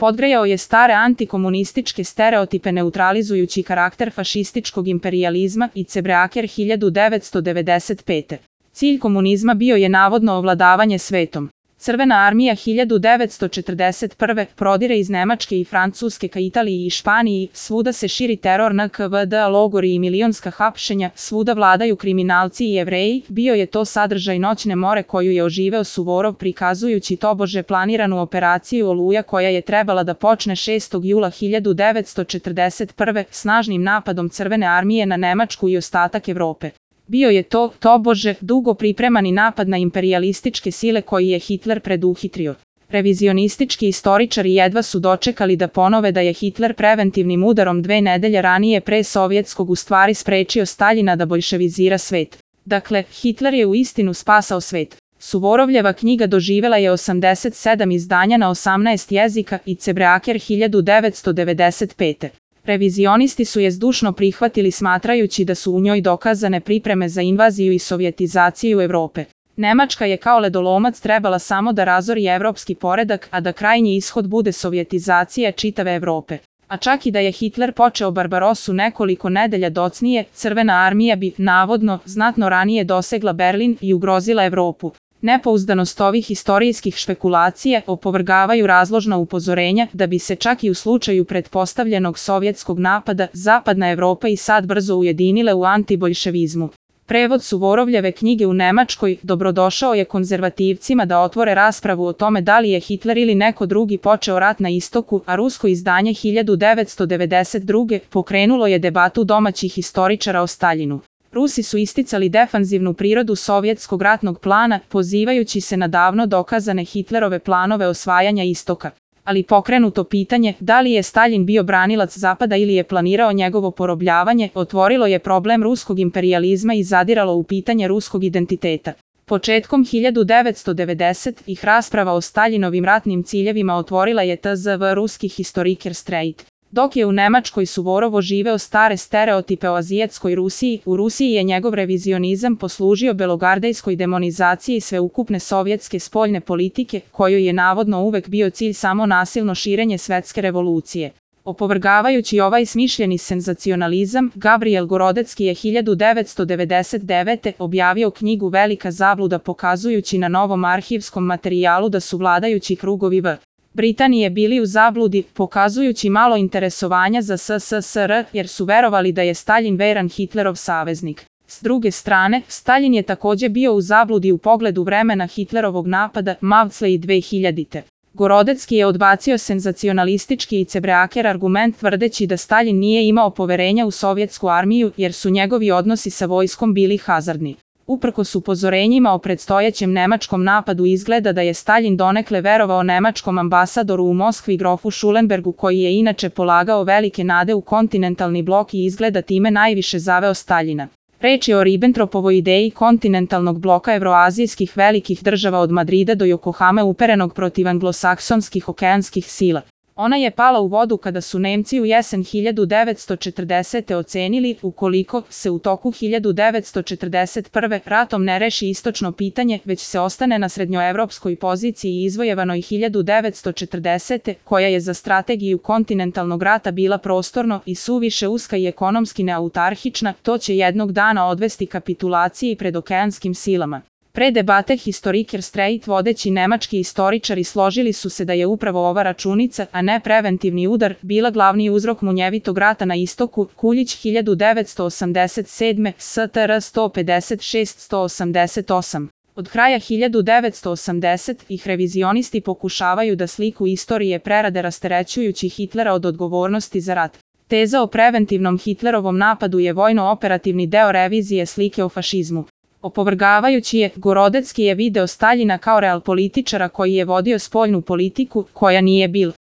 Podgrejao je stare antikomunističke stereotipe neutralizujući karakter fašističkog imperijalizma i Cebreaker 1995. Cilj komunizma bio je navodno ovladavanje svetom. Crvena armija 1941. prodire iz Nemačke i Francuske ka Italiji i Španiji, svuda se širi teror NKVD, logori i milionska hapšenja, svuda vladaju kriminalci i Jevreji, bio je to sadržaj Noćne more koju je oživeo Suvorov prikazujući tobože planiranu operaciju Oluja koja je trebala da počne 6. jula 1941. snažnim napadom Crvene armije na Nemačku i ostatak Evrope. Bio je to, tobože, dugo pripremani napad na imperijalističke sile koji je Hitler preduhitrio. Revizionistički istoričari jedva su dočekali da ponove da je Hitler preventivnim udarom 2 nedelje ranije pre sovjetskog u stvari sprečio Staljina da bolševizira svet. Dakle, Hitler je uistinu spasao svet. Suvorovljeva knjiga doživela je 87 izdanja na 18 jezika i Cebreaker 1995. Revizionisti su je zdušno prihvatili smatrajući da su u njoj dokazane pripreme za invaziju i sovjetizaciju Evrope. Nemačka je kao ledolomac trebala samo da razori evropski poredak, a da krajnji ishod bude sovjetizacija čitave Evrope. A čak i da je Hitler počeo Barbarosu nekoliko nedelja docnije, Crvena armija bi, navodno, znatno ranije dosegla Berlin i ugrozila Evropu. Nepouzdanost ovih istorijskih špekulacija opovrgavaju razložna upozorenja da bi se čak i u slučaju pretpostavljenog sovjetskog napada Zapadna Evropa i sad brzo ujedinile u antiboljševizmu. Prevod Suvorovljeve knjige u Nemačkoj dobrodošao je konzervativcima da otvore raspravu o tome da li je Hitler ili neko drugi počeo rat na istoku, a rusko izdanje 1992. pokrenulo je debatu domaćih historičara o Staljinu. Rusi su isticali defanzivnu prirodu sovjetskog ratnog plana, pozivajući se na davno dokazane Hitlerove planove osvajanja istoka. Ali pokrenuto pitanje, da li je Staljin bio branilac Zapada ili je planirao njegovo porobljavanje, otvorilo je problem ruskog imperijalizma i zadiralo u pitanje ruskog identiteta. Početkom 1990-ih rasprava o Staljinovim ratnim ciljevima otvorila je tzv. ruski historiker Streit. Dok je u Nemačkoj Suvorov oživeo stare stereotipe o azijatskoj Rusiji, u Rusiji je njegov revizionizam poslužio belogardejskoj demonizaciji sveukupne sovjetske spoljne politike, kojoj je navodno uvek bio cilj samo nasilno širenje svetske revolucije. Opovrgavajući ovaj smišljeni senzacionalizam, Gabriel Gorodecki je 1999. objavio knjigu Velika zabluda pokazujući na novom arhivskom materijalu da su vladajući krugovi v. Britanije bili u zabludi, pokazujući malo interesovanja za SSSR, jer su verovali da je Staljin veran Hitlerov saveznik. S druge strane, Staljin je takođe bio u zabludi u pogledu vremena Hitlerovog napada Mavclej 2000. Gorodecki je odbacio senzacionalistički i Cebreaker argument tvrdeći da Staljin nije imao poverenja u sovjetsku armiju jer su njegovi odnosi sa vojskom bili hazardni. Uprkos upozorenjima o predstojećem nemačkom napadu izgleda da je Staljin donekle verovao nemačkom ambasadoru u Moskvi grofu Schulenbergu koji je inače polagao velike nade u kontinentalni blok i izgleda time najviše zaveo Staljina. Reč je o Ribbentropovoj ideji kontinentalnog bloka evroazijskih velikih država od Madrida do Yokohame uperenog protiv anglosaksonskih okeanskih sila. Ona je pala u vodu kada su Nemci u jesen 1940. ocenili, ukoliko se u toku 1941. ratom ne reši istočno pitanje, već se ostane na srednjoevropskoj poziciji izvojevanoj 1940. koja je za strategiju kontinentalnog rata bila prostorno i suviše uska i ekonomski neautarhična, to će jednog dana odvesti kapitulaciji pred okeanskim silama. Pre debate historiker Streit vodeći nemački istoričari složili su se da je upravo ova računica, a ne preventivni udar, bila glavni uzrok munjevitog rata na istoku, Kuljić 1987, STR 156-188. Od kraja 1980-ih revizionisti pokušavaju da sliku istorije prerade rasterećujući Hitlera od odgovornosti za rat. Teza o preventivnom Hitlerovom napadu je vojno-operativni deo revizije slike o fašizmu. Opovrgavajući je, Gorodecki je video Staljina kao realpolitičara koji je vodio spoljnu politiku, koja nije bil